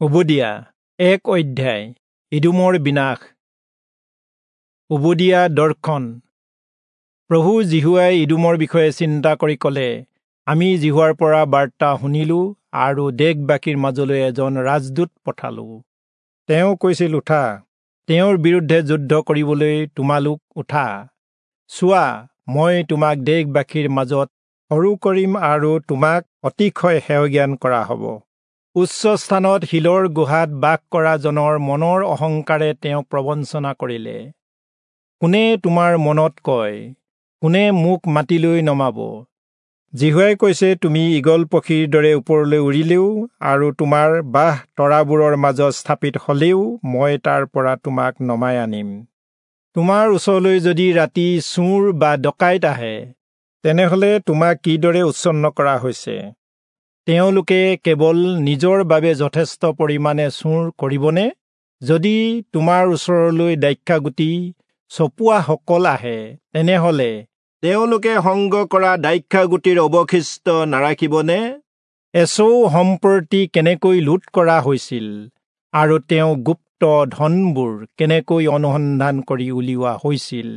ওবদিয়া 1 অধ্যায় ইদোমৰ বিনাশ। ওবদিয়া দৰ্শন। প্ৰভু যিহোৱাই ইদোমৰ বিষয়ে চিন্তা কৰি ক'লে, আমি যিহোৱাৰ পৰা বাৰ্তা শুনিলো আৰু দেশবাসীৰ মাজলৈ এজন ৰাজদূত পঠালো। তেওঁ কৈছিল, উঠা, তেওঁৰ বিৰুদ্ধে যুদ্ধ কৰিবলৈ তোমালোক উঠা। চোৱা, মই তোমাক দেশবাসীৰ মাজত সৰু কৰিম আৰু তোমাক অতিশয় হেয়জ্ঞান কৰা হ'ব। উচ্চ স্থানত শিলৰ গুহাত বাস কৰা জনৰ মনৰ অহংকাৰে তেওঁক প্ৰবঞ্চনা কৰিলে। কোনে তোমাৰ মনত কয়, কোনে মোক মাটিলৈ নমাব? যিহোৱাই কৈছে, তুমি ঈগল পক্ষীৰ দৰে ওপৰলৈ উৰিলেও আৰু তোমাৰ বাহ তৰাবোৰৰ মাজত স্থাপিত হলেও মই তাৰ পৰা তোমাক নমাই আনিম। তোমাৰ ওচৰলৈ যদি ৰাতি চোৰ বা ডকাইত আহে, তেনেহলে তোমাক কিদৰে উচ্ছন্ন কৰা হৈছে? তেওঁলোকে কেৱল নিজৰ বাবে যথেষ্ট পৰিমাণে চোৰ কৰিবনে? যদি তোমাৰ ওচৰলৈ দ্ৰাক্ষাগুটি চপোৱাসকল আহে, তেনেহলে তেওঁলোকে সংগ কৰা দ্ৰাক্ষাগুটিৰ অৱশিষ্ট নাৰাখিবনে? এচৌ সম্প্ৰতি কেনেকৈ লুট কৰা হৈছিল আৰু তেওঁ গুপ্ত ধনবোৰ কেনেকৈ অনুসন্ধান কৰি উলিওৱা হৈছিল।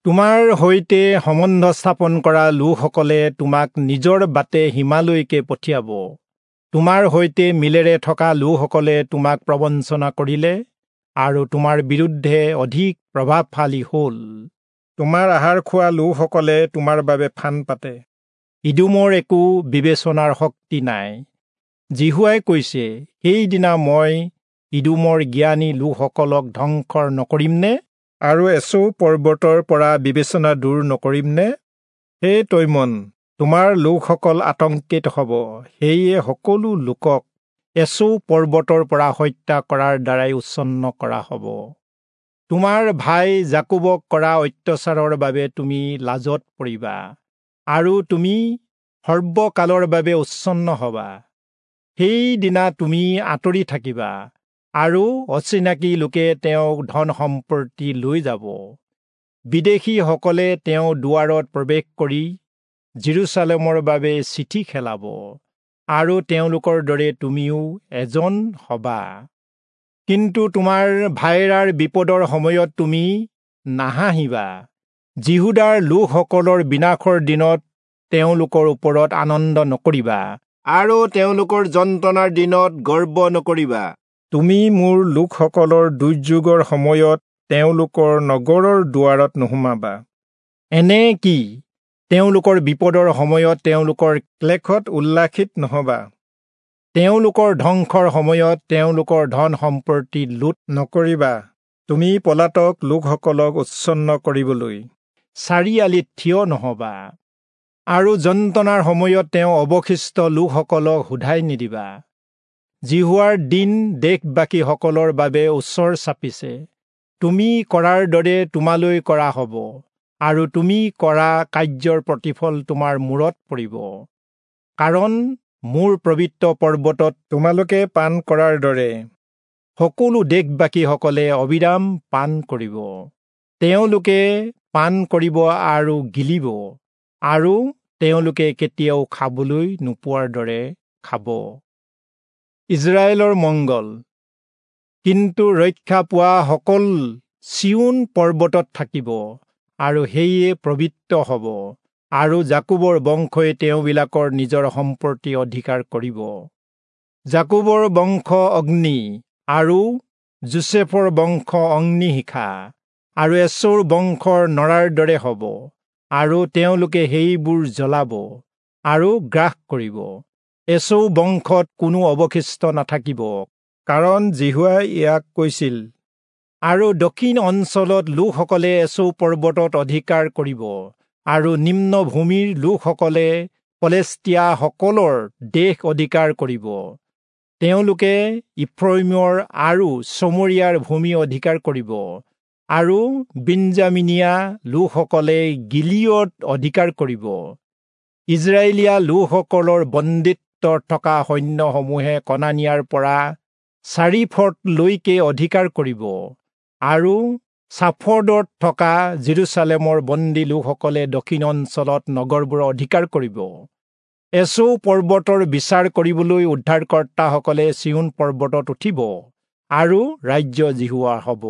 তোমাৰ সৈতে সম্বন্ধ স্থাপন কৰা লোকসকলে তোমাক নিজৰ বাটে সীমালৈকে পঠিয়াব। তোমাৰ সৈতে মিলেৰে থকা লোকসকলে তোমাক প্ৰবঞ্চনা কৰিলে আৰু তোমাৰ বিৰুদ্ধে অধিক প্ৰভাৱশালী হ'ল। তোমাৰ আহাৰ খোৱা লোকসকলে তোমাৰ বাবে ফান পাতে। ইদোমৰ একো বিবেচনাৰ শক্তি নাই। যিহোৱাই কৈছে, সেইদিনা মই ইদোমৰ জ্ঞানী লোকসকলক ধ্বংস নকৰিমনে? আৰু এচৌ পৰ্বতৰ পৰা বিবেচনা দূৰ নকৰিমনে? হে তৈমন, তোমাৰ লোকসকল আতংকিত হ'ব। সেয়ে সকলো লোকক এচৌ পৰ্বতৰ পৰা হত্যা কৰাৰ দ্বাৰাই উচ্ছন্ন কৰা হ'ব। তোমাৰ ভাই যাকোবক কৰা অত্যাচাৰৰ বাবে তুমি লাজত পৰিবা আৰু তুমি সৰ্বকালৰ বাবে উচ্ছন্ন হবা। সেইদিনা তুমি আঁতৰি থাকিবা আৰু অচিনাকি লোকে তেওঁক ধন সম্পত্তি লৈ যাব। বিদেশীসকলে তেওঁ দুৱাৰত প্ৰৱেশ কৰি জেৰুচালেমৰ বাবে চিঠি খেলাব আৰু তেওঁলোকৰ দৰে তুমিও এজন হবা। কিন্তু তোমাৰ ভাইৰাৰ বিপদৰ সময়ত তুমি নাহাঁহিবা। যিহূদাৰ লোকসকলৰ বিনাশৰ দিনত তেওঁলোকৰ ওপৰত আনন্দ নকৰিবা আৰু তেওঁলোকৰ যন্ত্ৰণাৰ দিনত গৰ্ব নকৰিবা। তুমি মোৰ লোকসকলৰ দুৰ্যোগৰ সময়ত তেওঁলোকৰ নগৰৰ দুৱাৰত নোসোমাবা। এনে কি, তেওঁলোকৰ বিপদৰ সময়ত তেওঁলোকৰ ক্লেশত উল্লাসিত নহবা। তেওঁলোকৰ ধ্বংসৰ সময়ত তেওঁলোকৰ ধন সম্পত্তি লুট নকৰিবা। তুমি পলাতক লোকসকলক উচ্ছন্ন কৰিবলৈ চাৰিআলিত থিয় নহবা আৰু যন্ত্ৰণাৰ সময়ত তেওঁ অৱশিষ্ট লোকসকলক সোধাই নিদিবা। যিহোৱাৰ দিন দেশবাসীসকলৰ বাবে ওচৰ চাপিছে। তুমি কৰাৰ দৰে তোমালৈ কৰা হ'ব আৰু তুমি কৰা কাৰ্যৰ প্ৰতিফল তোমাৰ মূৰত পৰিব। কাৰণ মোৰ পবিত্ৰ পৰ্বতত তোমালোকে পান কৰাৰ দৰে সকলো দেশবাসীসকলে অবিৰাম পান কৰিব। তেওঁলোকে পান কৰিব আৰু গিলিব আৰু তেওঁলোকে কেতিয়াও খাবলৈ নোপোৱাৰ দৰে খাব। ইজৰাইলৰ মংগল। কিন্তু ৰক্ষা পোৱা সকল চিয়োন পৰ্বতত থাকিব আৰু সেয়ে পবিত্ৰ হ'ব আৰু যাকোবৰ বংশই তেওঁবিলাকৰ নিজৰ সম্পত্তি অধিকাৰ কৰিব। যাকোবৰ বংশ অগ্নি আৰু যোচেফৰ বংশ অগ্নিশিখা আৰু এচৌৰ বংশৰ নৰাৰ দৰে হ'ব আৰু তেওঁলোকে সেইবোৰ জ্বলাব আৰু গ্ৰাস কৰিব। এচৌ বংশত কোনো অৱশিষ্ট নাথাকিব, কাৰণ যিহোৱাই ইয়াক কৈছিল। আৰু দক্ষিণ অঞ্চলত লোকসকলে এচৌ পৰ্বতত অধিকাৰ কৰিব আৰু নিম্ন ভূমিৰ লোকসকলে পলেষ্টিয়াসকলৰ দেশ অধিকাৰ কৰিব। তেওঁলোকে ইফ্ৰয়িমৰ আৰু চমৰীয়াৰ ভূমি অধিকাৰ কৰিব আৰু বিঞ্জামিনীয়া লোকসকলে গিলিয়দ অধিকাৰ কৰিব। ইজৰাইলীয়া লোকসকলৰ বন্দিত্বত থকা সৈন্যসমূহে কনানিয়াৰ পৰা চাৰিফটলৈকে অধিকাৰ কৰিব আৰু চাফৰ্ডত থকা জেৰুচালেমৰ বন্দী লোকসকলে দক্ষিণ অঞ্চলত নগৰবোৰ অধিকাৰ কৰিব। এচৌ পৰ্বতৰ বিচাৰ কৰিবলৈ উদ্ধাৰকৰ্তাসকলে চিয়োন পৰ্বতত উঠিব আৰু ৰাজ্য যিহোৱাৰ হ'ব।